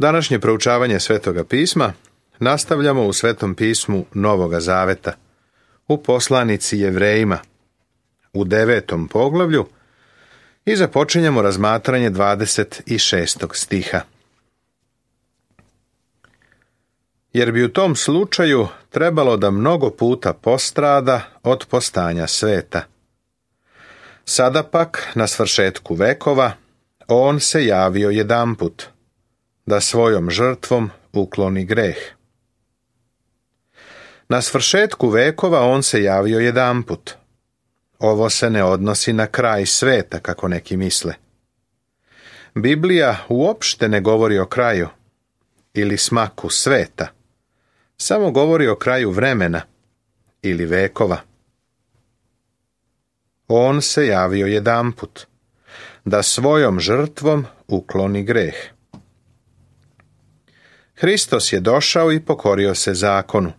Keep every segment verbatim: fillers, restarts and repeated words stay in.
Današnje proučavanje Svetoga pisma nastavljamo u Svetom pismu Novoga Zaveta, u poslanici Jevrejima, u devetom poglavlju, i započinjemo razmatranje dvadeset šestog stiha. Jer bi u tom slučaju trebalo da mnogo puta postrada od postanja sveta. Sada pak, na svršetku vekova, on se javio jedanput, da svojom žrtvom ukloni greh. Na svršetku vekova on se javio jedanput. Ovo se ne odnosi na kraj sveta, kako neki misle. Biblija uopšte ne govori o kraju ili smaku sveta, samo govori o kraju vremena ili vekova. On se javio jedanput, da svojom žrtvom ukloni greh. Hristos je došao i pokorio se zakonu.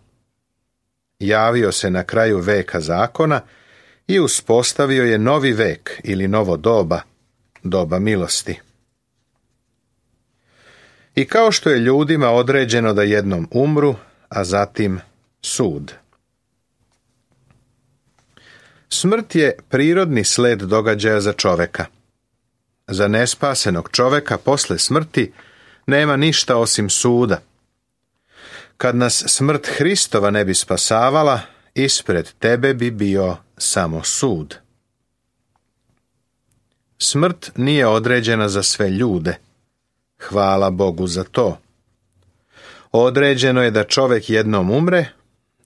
Javio se na kraju veka zakona i uspostavio je novi vek ili novo doba, doba milosti. I kao što je ljudima određeno da jednom umru, a zatim sud. Smrt je prirodni sled događaja za čoveka. Za nespasenog čoveka posle smrti nema ništa osim suda. Kad nas smrt Hristova ne bi spasavala, ispred tebe bi bio samo sud. Smrt nije određena za sve ljude. Hvala Bogu za to. Određeno je da čovjek jednom umre,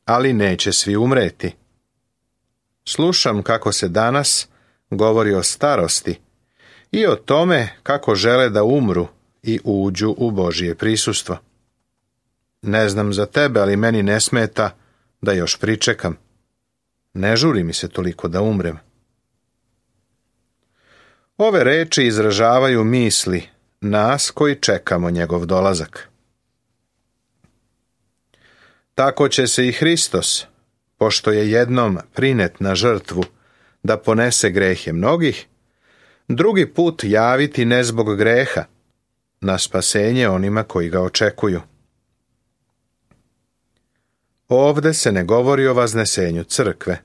ali neće svi umreti. Slušam kako se danas govori o starosti i o tome kako žele da umru i uđu u Božje prisustvo. Ne znam za tebe, ali meni ne smeta da još pričekam. Ne žuri mi se toliko da umrem. Ove reči izražavaju misli nas koji čekamo njegov dolazak. Tako će se i Hristos, pošto je jednom prinet na žrtvu da ponese grehe mnogih, drugi put javiti ne zbog greha, na spasenje onima koji ga očekuju. Ovde se ne govori o vaznesenju crkve,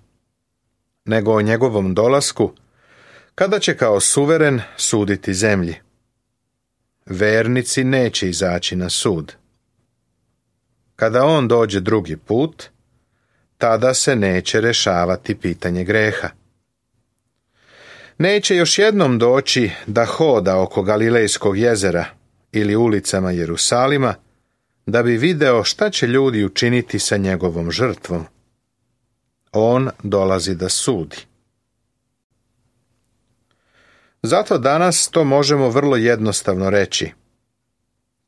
nego o njegovom dolasku, kada će kao suveren suditi zemlji. Vernici neće izaći na sud. Kada on dođe drugi put, tada se neće rešavati pitanje greha. Neće još jednom doći da hoda oko Galilejskog jezera ili ulicama Jerusalima, da bi video šta će ljudi učiniti sa njegovom žrtvom. On dolazi da sudi. Zato danas to možemo vrlo jednostavno reći.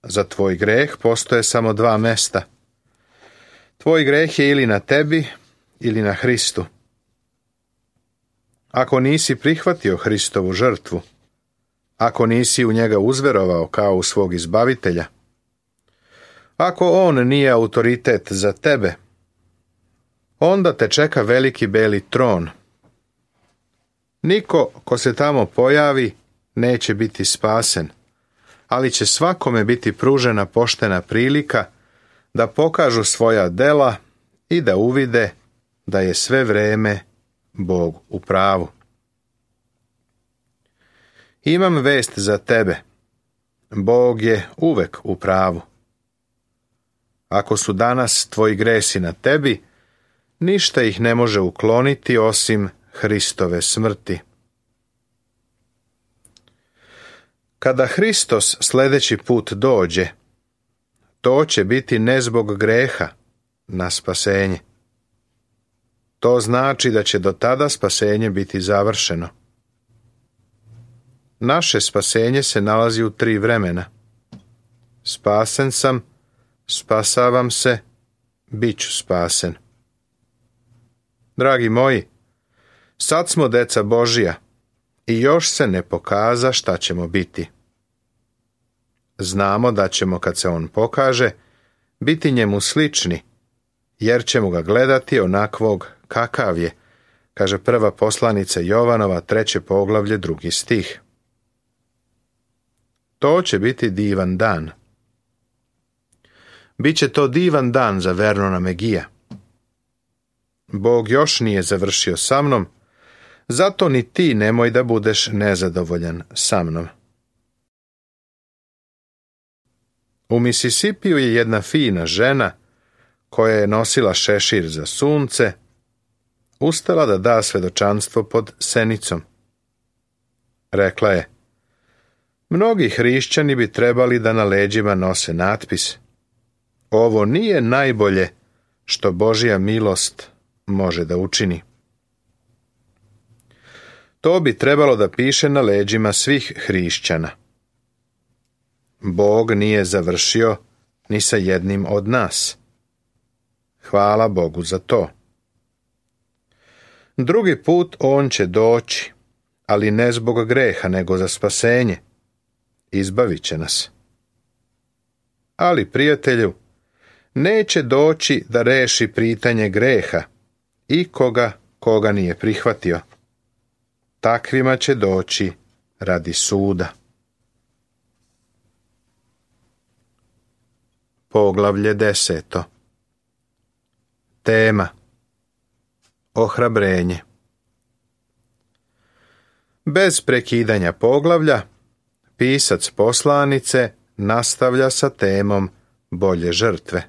Za tvoj greh postoje samo dva mesta. Tvoj greh je ili na tebi, ili na Hristu. Ako nisi prihvatio Hristovu žrtvu, ako nisi u njega uzverovao kao u svog izbavitelja, ako on nije autoritet za tebe, onda te čeka veliki beli tron. Niko ko se tamo pojavi neće biti spasen, ali će svakome biti pružena poštena prilika da pokažu svoja dela i da uvide da je sve vreme Bog u pravu. Imam vest za tebe. Bog je uvek u pravu. Ako su danas tvoji gresi na tebi, ništa ih ne može ukloniti osim Hristove smrti. Kada Hristos sljedeći put dođe, to će biti ne zbog greha na spasenje. To znači da će do tada spasenje biti završeno. Naše spasenje se nalazi u tri vremena. Spasen sam, spasavam se, bit ću spasen. Dragi moji, sad smo deca Božija i još se ne pokaza šta ćemo biti. Znamo da ćemo, kad se on pokaže, biti njemu slični, jer ćemo ga gledati onakvog kakav je, kaže prva poslanica Jovanova, treće poglavlje, drugi stih. To će biti divan dan. Biće to divan dan za Vernona Megija. Bog još nije završio sa mnom, zato ni ti nemoj da budeš nezadovoljan sa mnom. U Misisipiju je jedna fina žena, koja je nosila šešir za sunce, ustala da da svedočanstvo pod senicom. Rekla je: mnogi hrišćani bi trebali da na leđima nose natpis: ovo nije najbolje što Božja milost može da učini. To bi trebalo da piše na leđima svih hrišćana. Bog nije završio ni sa jednim od nas. Hvala Bogu za to. Drugi put on će doći, ali ne zbog greha, nego za spasenje. Izbavit će nas. Ali, prijatelju, neće doći da reši pitanje greha i koga koga nije prihvatio. Takvima će doći radi suda. Poglavlje deseto. Tema: ohrabrenje. Bez prekidanja poglavlja, pisac poslanice nastavlja sa temom bolje žrtve.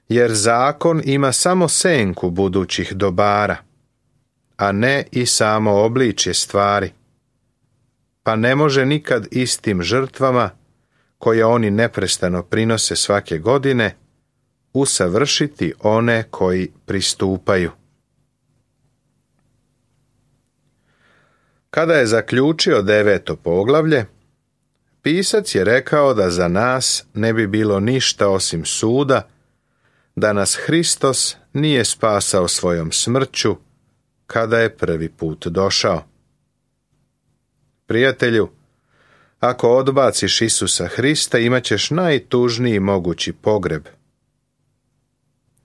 Jer zakon ima samo senku budućih dobara, a ne i samo obličje stvari, pa ne može nikad istim žrtvama, koje oni neprestano prinose svake godine, usavršiti one koji pristupaju. Kada je zaključio deveto poglavlje, pisac je rekao da za nas ne bi bilo ništa osim suda, da nas Hristos nije spasao svojom smrću kada je prvi put došao. Prijatelju, ako odbaciš Isusa Hrista, imat ćeš najtužniji mogući pogreb.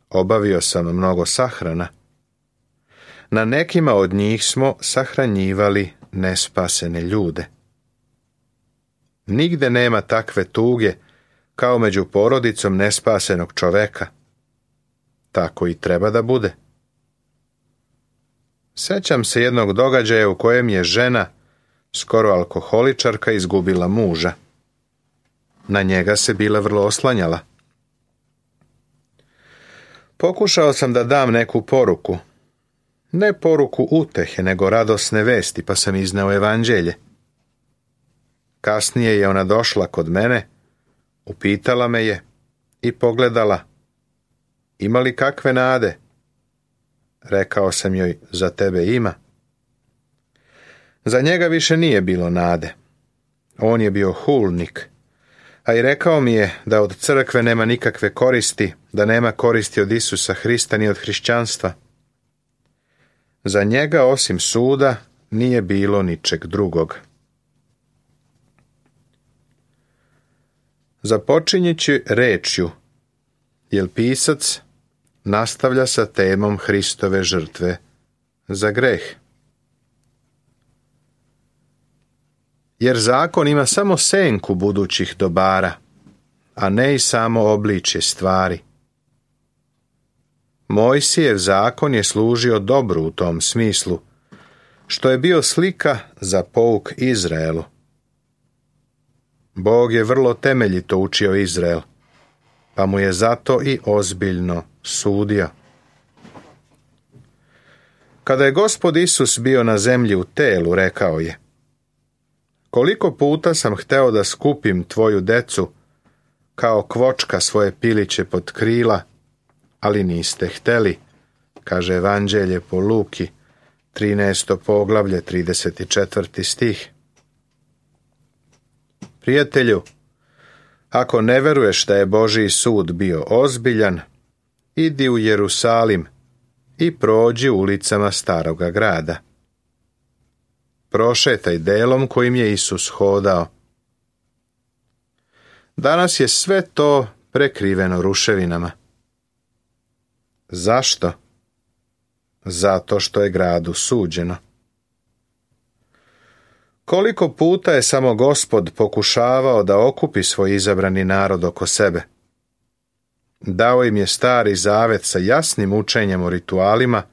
Obavio sam mnogo sahrana. Na nekima od njih smo sahranjivali nespasene ljude. Nigde nema takve tuge kao među porodicom nespasenog čoveka. Tako i treba da bude. Sećam se jednog događaja u kojem je žena, skoro alkoholičarka, izgubila muža. Na njega se bila vrlo oslanjala. Pokušao sam da dam neku poruku. Ne poruku utehe, nego radosne vesti, pa sam izneo evanđelje. Kasnije je ona došla kod mene, upitala me je i pogledala: ima li kakve nade? Rekao sam joj: za tebe ima. Za njega više nije bilo nade. On je bio hulnik, a i rekao mi je da od crkve nema nikakve koristi, da nema koristi od Isusa Hrista ni od hrišćanstva. Za njega osim suda nije bilo ničeg drugog. Započinjući rečju, jer pisac nastavlja sa temom Hristove žrtve za greh. Jer zakon ima samo senku budućih dobara, a ne i samo obličje stvari. Mojsijev zakon je služio dobru u tom smislu, što je bio slika za pouk Izraelu. Bog je vrlo temeljito učio Izrael, pa mu je zato i ozbiljno sudio. Kada je Gospod Isus bio na zemlji u telu, rekao je: koliko puta sam hteo da skupim tvoju decu kao kvočka svoje piliće pod krila, ali niste hteli, kaže Evanđelje po Luki, trinaesto poglavlje, trideset četvrti stih. Prijatelju, ako ne veruješ da je Božji sud bio ozbiljan, idi u Jerusalim i prođi ulicama staroga grada. Prošetaj delom kojim je Isus hodao. Danas je sve to prekriveno ruševinama. Zašto? Zato što je gradu suđeno. Koliko puta je samo Gospod pokušavao da okupi svoj izabrani narod oko sebe. Dao im je stari zavet sa jasnim učenjem o ritualima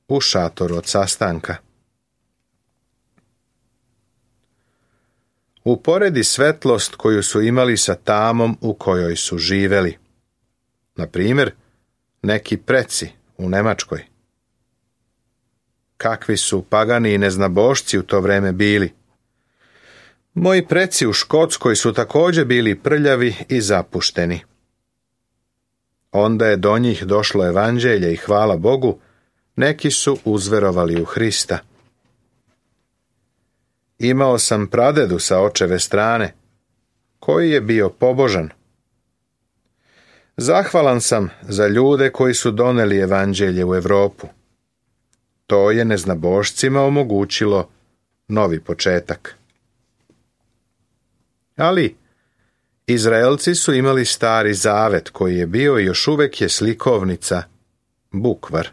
u šatoru od sastanka. Uporedi svetlost koju su imali sa tamom u kojoj su živeli. Na primjer, neki preci u Nemačkoj. Kakvi su pagani i neznabošci u to vreme bili. Moji preci u Škotskoj su također bili prljavi i zapušteni. Onda je do njih došlo evanđelje i hvala Bogu, neki su uzverovali u Hrista. Imao sam pradedu sa očeve strane, koji je bio pobožan. Zahvalan sam za ljude koji su doneli evanđelje u Europu. To je neznabošcima omogućilo novi početak. Ali Izraelci su imali stari zavet koji je bio i još uvijek je slikovnica, bukvar.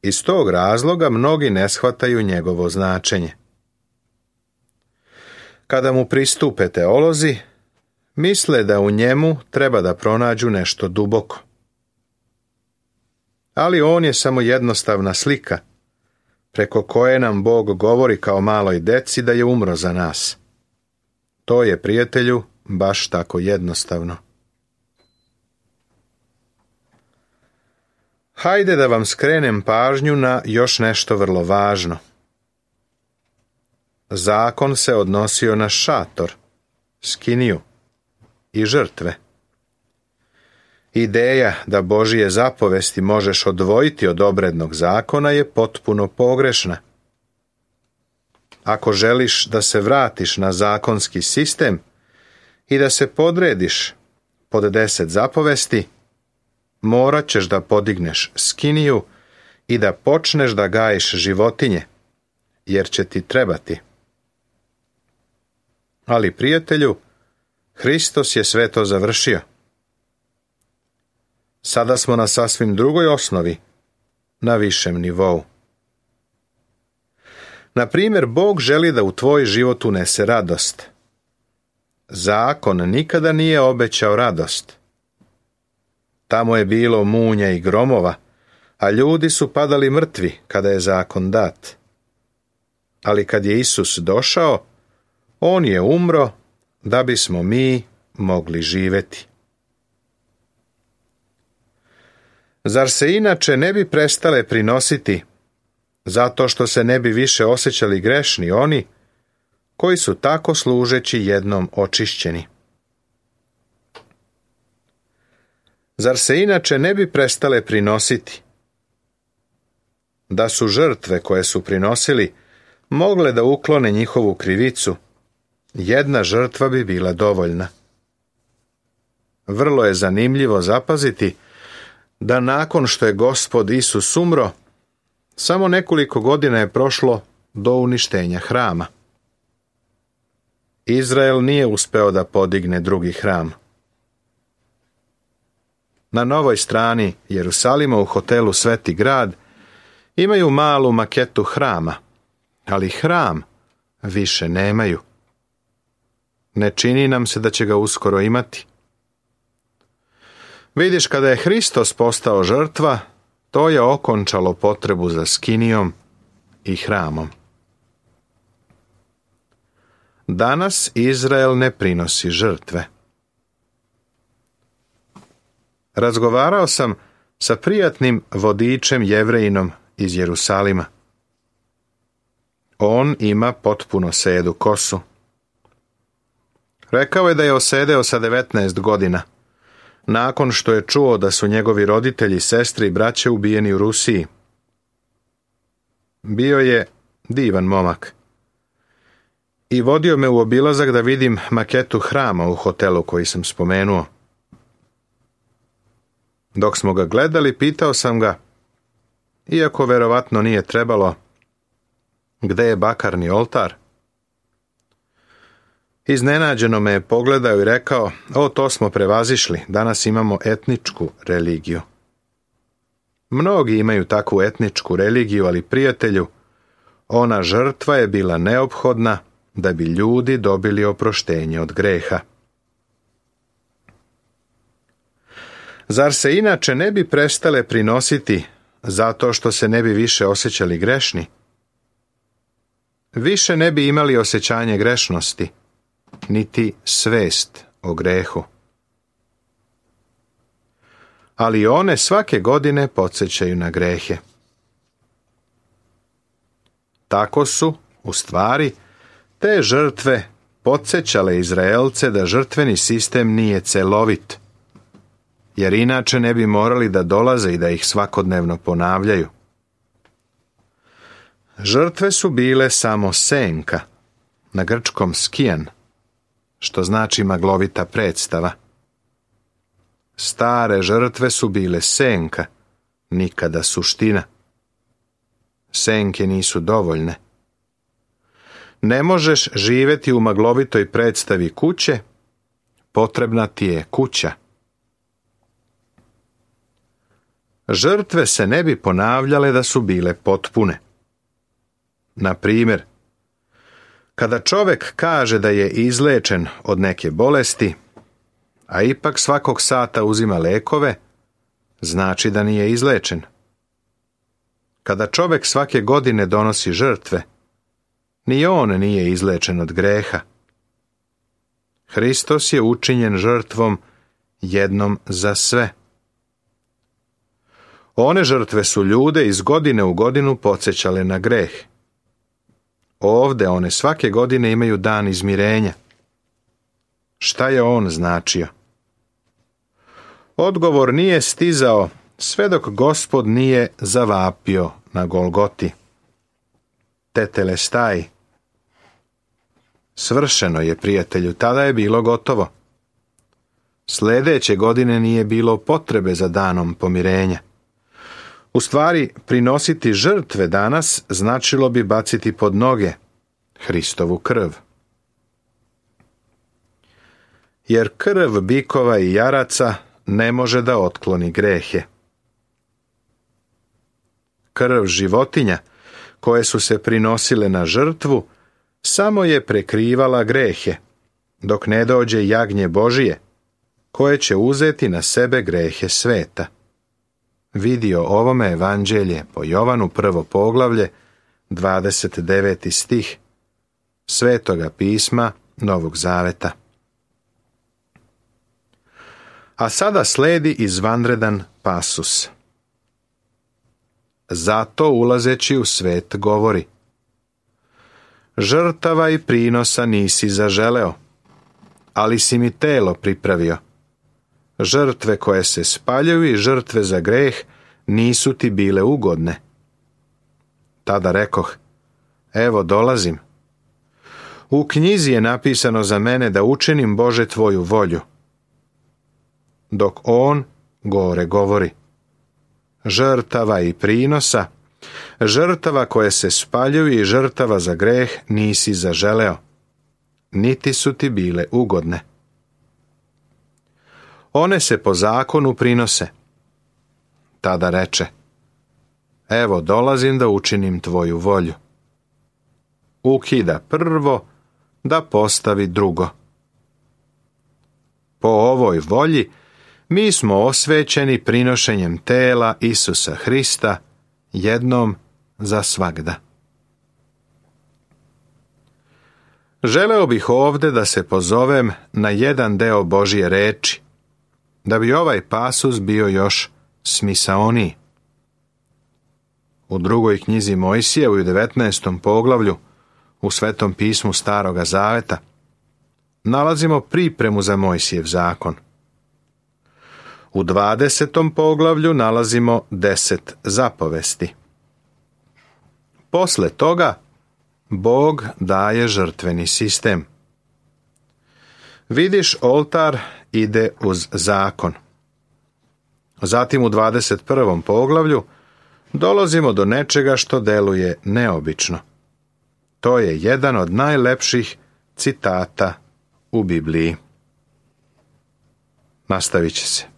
Iz tog razloga mnogi ne shvataju njegovo značenje. Kada mu pristupe teolozi, misle da u njemu treba da pronađu nešto duboko. Ali on je samo jednostavna slika, preko koje nam Bog govori kao maloj deci da je umro za nas. To je, prijatelju, baš tako jednostavno. Hajde da vam skrenem pažnju na još nešto vrlo važno. Zakon se odnosio na šator, skiniju i žrtve. Ideja da Božije zapovesti možeš odvojiti od obrednog zakona je potpuno pogrešna. Ako želiš da se vratiš na zakonski sistem i da se podrediš pod deset zapovesti, morat ćeš da podigneš skiniju i da počneš da gajiš životinje, jer će ti trebati. Ali, prijatelju, Hristos je sve to završio. Sada smo na sasvim drugoj osnovi, na višem nivou. Na primjer, Bog želi da u tvoj život unese radost. Zakon nikada nije obećao radost. Tamo je bilo munja i gromova, a ljudi su padali mrtvi kada je zakon dat. Ali kad je Isus došao, on je umro da bismo mi mogli živjeti. Zar se inače ne bi prestale prinositi, zato što se ne bi više osjećali grešni oni koji su tako služeći jednom očišćeni? Zar se inače ne bi prestale prinositi? Da su žrtve koje su prinosili mogle da uklone njihovu krivicu, jedna žrtva bi bila dovoljna. Vrlo je zanimljivo zapaziti da nakon što je Gospod Isus umro, samo nekoliko godina je prošlo do uništenja hrama. Izrael nije uspeo da podigne drugi hram. Na novoj strani Jerusalima u hotelu Sveti grad imaju malu maketu hrama, ali hram više nemaju. Ne čini nam se da će ga uskoro imati. Vidiš, kada je Hristos postao žrtva, to je okončalo potrebu za skinijom i hramom. Danas Izrael ne prinosi žrtve. Razgovarao sam sa prijatnim vodičem Jevrejinom iz Jerusalima. On ima potpuno sedu kosu. Rekao je da je osedeo sa devetnaest godina, nakon što je čuo da su njegovi roditelji, sestre i braće ubijeni u Rusiji. Bio je divan momak. I vodio me u obilazak da vidim maketu hrama u hotelu koji sam spomenuo. Dok smo ga gledali, pitao sam ga, iako verovatno nije trebalo, gde je bakarni oltar? Iznenađeno me je pogledao i rekao, o, to smo prevazišli, danas imamo etničku religiju. Mnogi imaju takvu etničku religiju, ali, prijatelju, Ona žrtva je bila neophodna da bi ljudi dobili oproštenje od greha. Zar se inače ne bi prestale prinositi zato što se ne bi više osjećali grešni? Više ne bi imali osjećanje grešnosti, niti svest o grehu. Ali one svake godine podsjećaju na grehe. Tako su, u stvari, te žrtve podsjećale Izraelce da žrtveni sistem nije celovit, jer inače ne bi morali da dolaze i da ih svakodnevno ponavljaju. Žrtve su bile samo senka, na grčkom skijan, što znači maglovita predstava. Stare žrtve su bile senka, nikada suština. Senke nisu dovoljne. Ne možeš živjeti u maglovitoj predstavi kuće, potrebna ti je kuća. Žrtve se ne bi ponavljale da su bile potpune. Na primjer, kada čovjek kaže da je izlečen od neke bolesti, a ipak svakog sata uzima lekove, znači da nije izlečen. Kada čovjek svake godine donosi žrtve, ni on nije izlečen od greha. Hristos je učinjen žrtvom jednom za sve. One žrtve su ljude iz godine u godinu podsjećale na greh. Ovde one svake godine imaju dan izmirenja. Šta je on značio? Odgovor nije stizao sve dok Gospod nije zavapio na Golgoti. Tetelestai. Svršeno je, prijatelju, tada je bilo gotovo. Sljedeće godine nije bilo potrebe za danom pomirenja. U stvari, prinositi žrtve danas značilo bi baciti pod noge Hristovu krv. Jer krv bikova i jaraca ne može da otkloni grehe. Krv životinja koje su se prinosile na žrtvu samo je prekrivala grehe, dok ne dođe jagnje Božije, koje će uzeti na sebe grehe sveta. Vidio ovome evanđelje po Jovanu prvo poglavlje, dvadeset deveti stih, Svetoga pisma Novog Zaveta. A sada sledi izvanredan pasus. Zato ulazeći u svet govori: žrtava i prinosa nisi zaželeo, ali si mi telo pripravio. Žrtve koje se spaljuju i žrtve za greh nisu ti bile ugodne. Tada rekoh: evo dolazim. U knjizi je napisano za mene da učinim, Bože, tvoju volju. Dok on gore govori: žrtava i prinosa, žrtava koje se spaljuju i žrtava za greh nisi zaželeo, niti su ti bile ugodne. One se po zakonu prinose. Tada reče: evo dolazim da učinim tvoju volju. Ukida prvo da postavi drugo. Po ovoj volji mi smo osvećeni prinošenjem tela Isusa Hrista jednom za svagda. Želeo bih ovde da se pozovem na jedan deo Božje reči, da bi ovaj pasus bio još smisaoniji. U drugoj knjizi Mojsije, u devetnaestom poglavlju, u Svetom pismu Staroga Zaveta, nalazimo pripremu za Mojsijev zakon. U dvadesetom poglavlju nalazimo deset zapovesti. Posle toga Bog daje žrtveni sistem. Vidiš, oltar ide uz zakon. Zatim u dvadeset prvom poglavlju dolazimo do nečega što deluje neobično. To je jedan od najlepših citata u Bibliji. Nastavit će se.